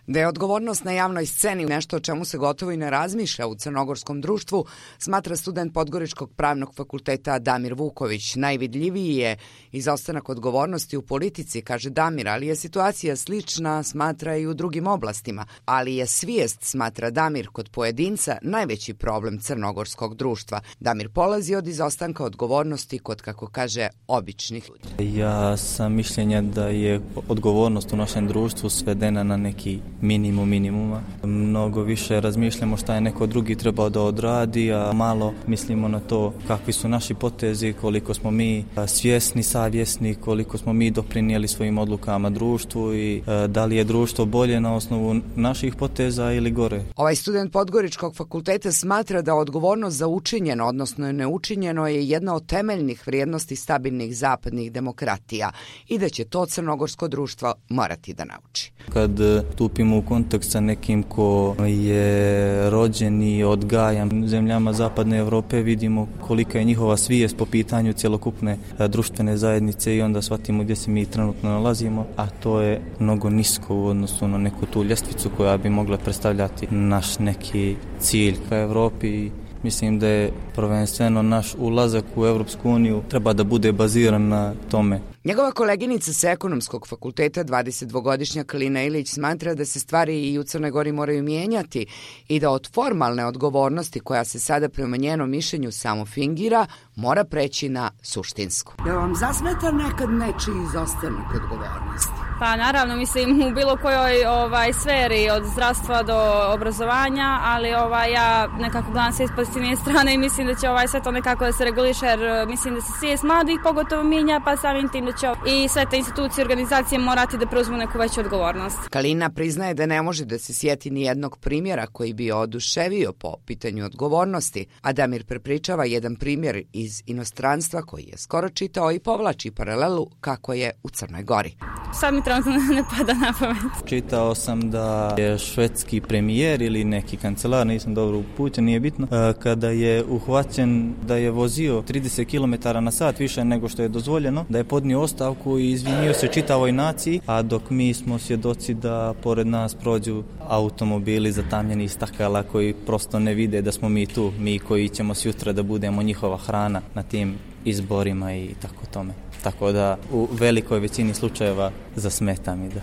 Da je odgovornost na javnoj sceni nešto o čemu se gotovo i ne razmišlja u crnogorskom društvu, smatra student Podgoričkog pravnog fakulteta Damir Vuković. Najvidljiviji je izostanak odgovornosti u politici, kaže Damir, ali je situacija slična, smatra i u drugim oblastima. Ali je svijest, smatra Damir, kod pojedinca najveći problem crnogorskog društva. Damir polazi od izostanka odgovornosti kod, kako kaže, običnih ljudi. Ja sam mišljenja da je odgovornost u našem društvu svedena na neki minimum minimuma. Mnogo više razmišljamo šta je neko drugi trebao da odradi, a malo mislimo na to kakvi su naši potezi, koliko smo mi svjesni, savjesni, koliko smo mi doprinijeli svojim odlukama društvu i da li je društvo bolje na osnovu naših poteza ili gore. Ovaj student Podgoričkog fakulteta smatra da odgovornost za učinjeno, odnosno neučinjeno, je jedna od temeljnih vrijednosti stabilnih zapadnih demokratija i da će to crnogorsko društvo morati da nauči. Kad stupimo u kontakt sa nekim ko je rođen i odgajan u zemljama zapadne Europe, vidimo kolika je njihova svijest po pitanju cjelokupne društvene zajednice i onda shvatimo gdje se mi trenutno nalazimo, a to je mnogo nisko u odnosu na neku tu ljestvicu koja bi mogla predstavljati naš neki cilj ka Europi. Mislim da je prvenstveno naš ulazak u Europsku uniju treba da bude baziran na tome. Njegova koleginica sa Ekonomskog fakulteta, 22-godišnja Kalina Ilić, smatra da se stvari i u Crnoj Gori moraju mijenjati i da od formalne odgovornosti, koja se sada prema njenom mišljenju samo fingira, mora preći na suštinsku. Da vam zasmeta nekad nečiji izostanak odgovornosti? Pa naravno, mislim u bilo kojoj sferi, od zdravstva do obrazovanja, ali ja nekako gledam sve iz pozitivne strane i mislim da će sve to nekako da se reguliše, jer mislim da se svijest mladih pogotovo mijenja, pa samim tim da će i sve te institucije i organizacije morati da preuzmu neku veću odgovornost. Kalina priznaje da ne može da se sjeti ni jednog primjera koji bi oduševio po pitanju odgovornosti, a Damir prepričava jedan primjer iz inostranstva koji je skoro čitao i povlači paralelu kako je u Crnoj Gori. Sad mi trenutno ne pada na pamet. Čitao sam da je švedski premijer ili neki kancelar, nisam dobro upućen, nije bitno, kada je uhvaćen da je vozio 30 km na sat više nego što je dozvoljeno, da je podnio ostavku i izvinio se čitavoj naciji, a dok mi smo svjedoci da pored nas prođu automobili zatamljeni stakala koji prosto ne vide da smo mi tu, mi koji ćemo sutra da budemo njihova hrana na tim izborima i tako tome. Tako da u velikoj većini slučajeva zasmeta mi da.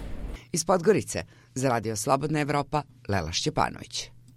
Iz Podgorice za Radio Slobodna Evropa, Lela Šćepanović.